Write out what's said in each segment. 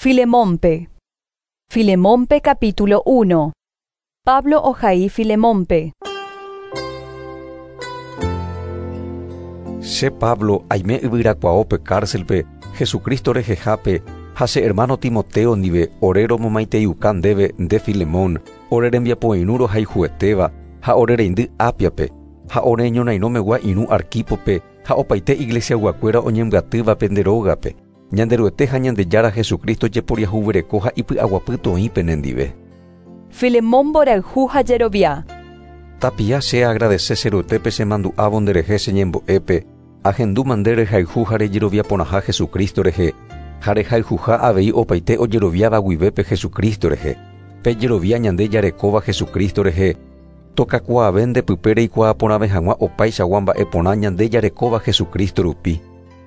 Filemónpe. Filemónpe capítulo 1. Pablo ohai Filemónpe. Che Pablo aime yvyrakuaópe cárcelpe Jesucristo rehehápe ha che hermano Timoteo ndive ore romomaiteiuka ndéve nde Filemón, ore rembiapoirũ rohayhuetéva ha ore reindy Ápiape, ha ore ñorairõmegua irũ Arquípope ha opaite iglesiaguakuéra oñembyatývape nde rógape. Ñanderuete ha Ñandejára Jesucristo jeporiahuvereko ha ipy'aguapy toĩ penendive. Filemón mborayhu ha jerovia. Tapia che aagradese che Ruetépe chemandu'ávo nderehe che ñembo'épe, ahendúma nde rehayhu ha rejerovia porãha Jesucristo rehe, ha rehayhuha avei opaite ojeroviáva guivépe Jesucristo rehe. Pe jerovia ñande jarekóva Jesucristo rehe, tokakuaave nde pype reikuaa porãve hag̃ua opaichagua mba'e porã ñande jarekóva Jesucristo rupi.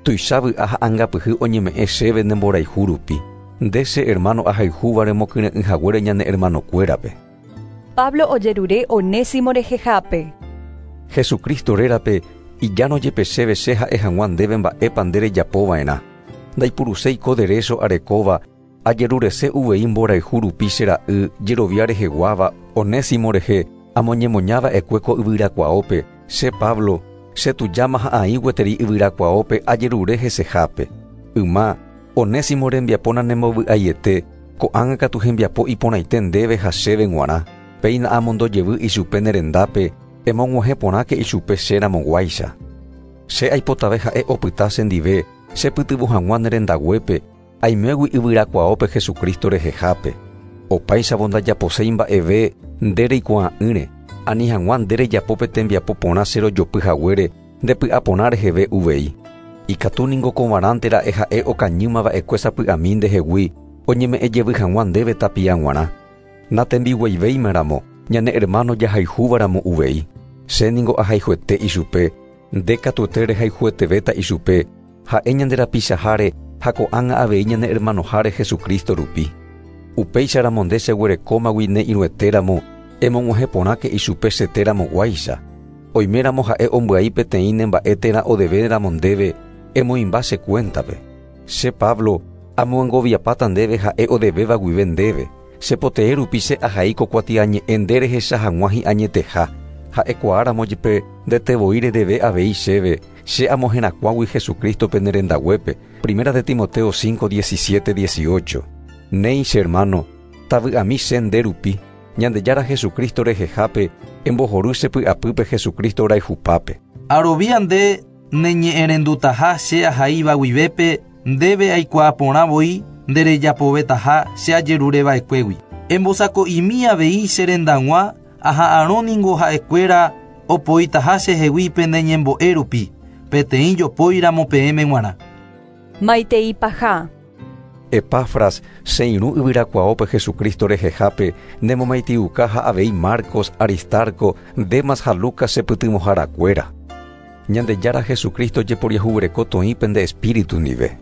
Tuicha vy'a ha angapyhy oñeme'ẽ chéve ne mborayhu rupi. Nde che hermano ahayhúva remokyre'ỹ haguére ñane hermanokuérape. Pablo ojerure Onésimo rehehápe. Jesucristo rérape ijárõ jepe chéve che ha'e hag̃ua ndéve mba'épa nde rejapova'erã. Ndaipuruséi ko derécho arekóva, ajerurese uvei mborayhu rupi che ra'y jerovia reheguáva Onésimo rehe amoñemoñava'ekue ko yvyrakuaópe, che Pablo, che tujáma ha aĩ gueteri yvyrakuaópe ajerure hesehápe. Yma, Onésimo rembiapo nanembovy'aiete, ko'ág̃a katu hembiapo iporãite ndéve ha chéve g̃uarã. Péina amondo jevy ichupe ne rendápe, emog̃uahẽ porãke ichupe che ramoguáicha. Che aipotave ha'e opyta chendive, che pytyvõ hag̃ua ne rendaguépe, aimégui yvyrakuaópe Jesucristo rehehápe. Opáichavo ndajaposéi mba'eve nde reikuaa'ỹre, ani hag̃ua nde rejapo pe tembiapo porã che rojopy haguére nde py'aporã reheve uvei. Ikatu ningo kovarãnte ra'e ha'e okañýma va'ekue sapy'ami ndehegui oñeme'ẽ jevy hag̃ua ndéve tapia g̃uarã. Natembiguaivéima ramo, ñane hermano jahayhúva ramo uvei. Che ningo ahayhuete ichupe, nde katuete rehayhuetevéta ichupe, ha'e ñande rapichaháre ha ko'ág̃a avei ñane hermanoháre Jesucristo rupi. Upéicharamo nde cheguerekómagui ne irũetéramo, emog̃uahẽ porãke ichupe cheteramoguáicha. Oiméramo ha'e ombyai peteĩ ne mba'e térã odevéramo ndéve, emoĩmba che cuéntape. Che Pablo, amoangoviapáta ndéve ha'e odevéva guive ndéve. Che potee rupi che ahai ko kuatiañe'ẽ nde rehecha hag̃ua hi'añeteha. Ha'ekuaáramo jepe ndete voi redeve avei chéve, che amoherakuãgui Jesucristo-pe ne rendaguépe. Primera de Timoteo 5, 17, 18. Néi, che hermano, tavy'ami che nde rupi, Ñandejára Jesucristo rehehápe, embohory che py'apýpe Jesucristo rayhupápe. Arovia nde neñe'ẽrendutaha che ahaíva guivépe, ndéve aikuaa porã voi nde rejapovetaha che ajerureva'ekuégui. Embosako'imi avei che rendag̃ua aha'arõ ningo ha'ekuéra opoitaha chehegui pene ñembo'e rupi, peteĩ jopóiramo peẽme g̃uarã. Maitei paha. Epafras, che irũ yvyrakuaópe Jesucristo rehehápe, nemomaitiuka ha avei Marcos, Aristarco, Demas ha Lucas che pytyvõharakuéra. Ñandejára Jesucristo jeporiahuvereko toĩ pende espíritu ndive.